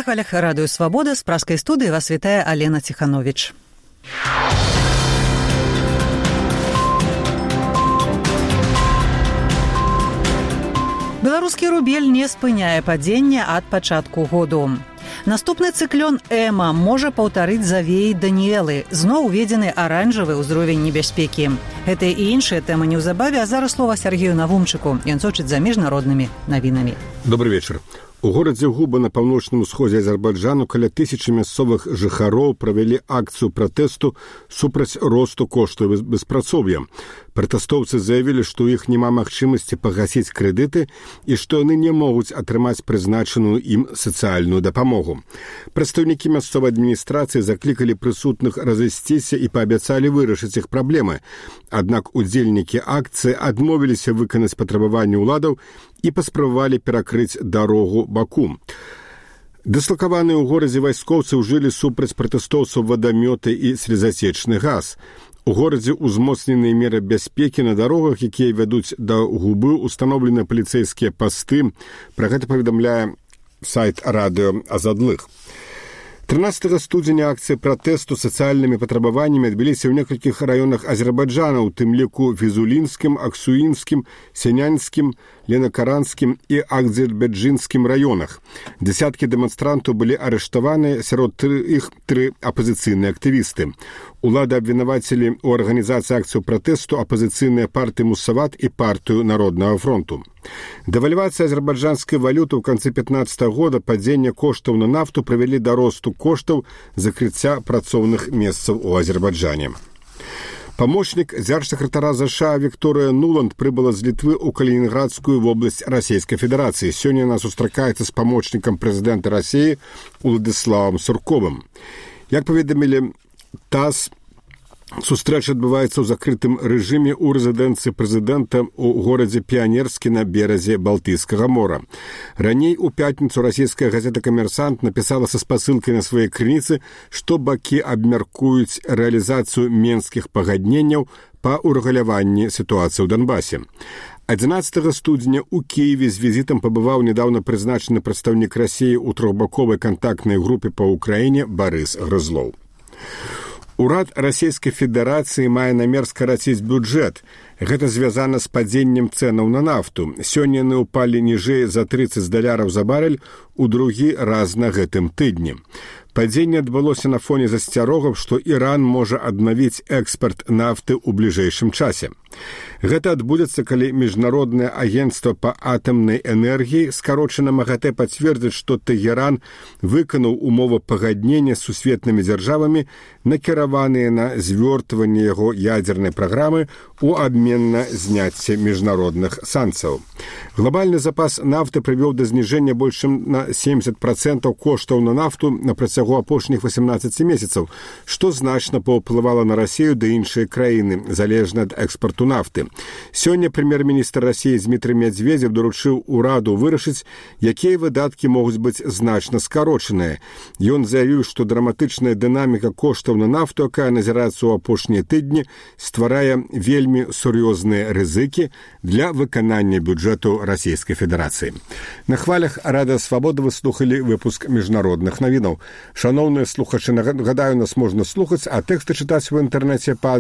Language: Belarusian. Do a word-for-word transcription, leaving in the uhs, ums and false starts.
На хвалях радыё «Свабода» з праскай студыі вас вітае Алена Ціхановіч. Беларускі рубель не спыняе падзення ад пачатку году. Наступны цыклён Эма можа паўтарыць завеі Даніэлы. Зноў уведзены аранжавы ўзровень небяспекі. Гэтыя і іншыя тэмы неўзабаве, а зараз слова Сергею Навумчыку. Ён сочыць за міжнароднымі навінамі. Добрый вечар. У горадзе Губа на паўночным усходзе Азербайджану каля тысячы мясцовых жыхароў правялі акцыю пратэсту супраць росту коштаў беспрацоўя. Пратэстоўцы заявілі, што ў іх няма магчымасці пагасіць крэдыты і што яны не могуць атрымаць прызначаную ім сацыяльную дапамогу. Прадстаўнікі мясцовай адміністрацыі заклікалі прысутных разысціся і паабяцалі вырашыць іх праблемы. Аднак удзельнікі акцыі адмовіліся выканаць патрабаванні ўладаў і паспрабавалі перакрыць дарогу Баку. Дыслакаваныя ў горадзе вайскоўцы ўжылі супраць пратэстоўцаў вадамёты і слезацечны газ. У горадзе ўзмоцненыя меры бяспекі на дарогах, якія вядуць да Губы, устаноўлены паліцэйскія пасты. Пра гэта паведамляе сайт радыё Азадлых. трынаццатага студзеня акцыі пратэсту сацыяльнымі патрабаваннямі адбыліся ў некалькіх раёнах Азербайджана, у тым ліку Фізулінскім, Аксуінскім, Сянянскім, Ленакаранскім і Акзербайджынскім раёнах. Дзясяткі дэманстрантаў былі арыштаваны, сярод іх тры апазіцыйныя актывісты. Улады абвінавацілі ў арганізацыі акцыю пратэсту апазіцыйныя партыі Мусават і партыю Народнага фронту. Дэвальвацыя азербайджанскай валюты ў канцы пятнаццатага года, падзенне коштаў на нафту прывялі да росту коштаў закрыцця працоўных месцаў у Азербайджане. Памочнік дзяржсакратара ЗША Вікторыя Нуланд прыбыла з Літвы ў Калінінградскую вобласць Расійскай Федэрацыі. Сёння яна сустракаецца з памочнікам прэзідэнта Расіі Уладзіславам Сурковым. Як паведамілі ТАСС, сустрэча адбываецца ў закрытым рэжыме ў рэзідэнцыі прэзідэнта ў горадзе Піянерскі на беразе Балтыйскага мора. Раней у пятніцу расійская газета «Камерсант» напісала са спасылкай на свае крыніцы, што бакі абмяркуюць рэалізацыю менскіх пагадненняў па ўрэгуляванні сітуацыі ў Донбасе. адзінаццатага студзеня ў Кіеве з візітам пабываў нядаўна прызначаны прадстаўнік Расіі ў трохбаковай кантактнай групе па ўкраіне Барыс Грызлоў. Урад Расійскай Федэрацыі мае намер скараціць бюджэт. Гэта звязана з падзеннем цэнаў на нафту. Сёння яны ўпалі ніжэй за трыццаць даляраў за барэль у другі раз на гэтым тыдні. Падзенне адбылося на фоне засцярогаў, што Іран можа аднавіць экспарт нафты ў бліжэйшым часе. Гэта адбудзецца, калі Міжнароднае агенцтва па атамнай энергіі, скарочана МАГАТЭ, пацвердзіць, што Тэгеран выканаў умовы пагаднення з сусветнымі дзяржавамі, накіраваныя на звёртванне яго ядзернай праграмы ў абмен на зняцце міжнародных санкцыяў. Глобальны запас нафты прывёў да зніжэння больш чым на семдзесят працэнтаў коштаў на нафту на працягу апошніх васемнаццаці месяцаў, што значна паўплывала на Расію ды іншыя краіны, залежна ад экспарту нафты. Сёння прэм'ер-міністр Расіі Дмітрый Медведзев даручыў ураду вырашыць, якія выдаткі могуць быць значна скарочаныя. Ён заявіў, што драматычная дынаміка коштаў на нафту, якая назіраецца ў апошнія тыдні, стварае вельмі сур'ёзныя рызыкі для выканання бюджэту Расійскай Федэрацыі. На хвалях радыё «Свабода» вы слухалі выпуск міжнародных навінаў. Шаноўныя слухачы, нагадаю, нас можна слухаць, а тэксты чытаць у інтэрнэце па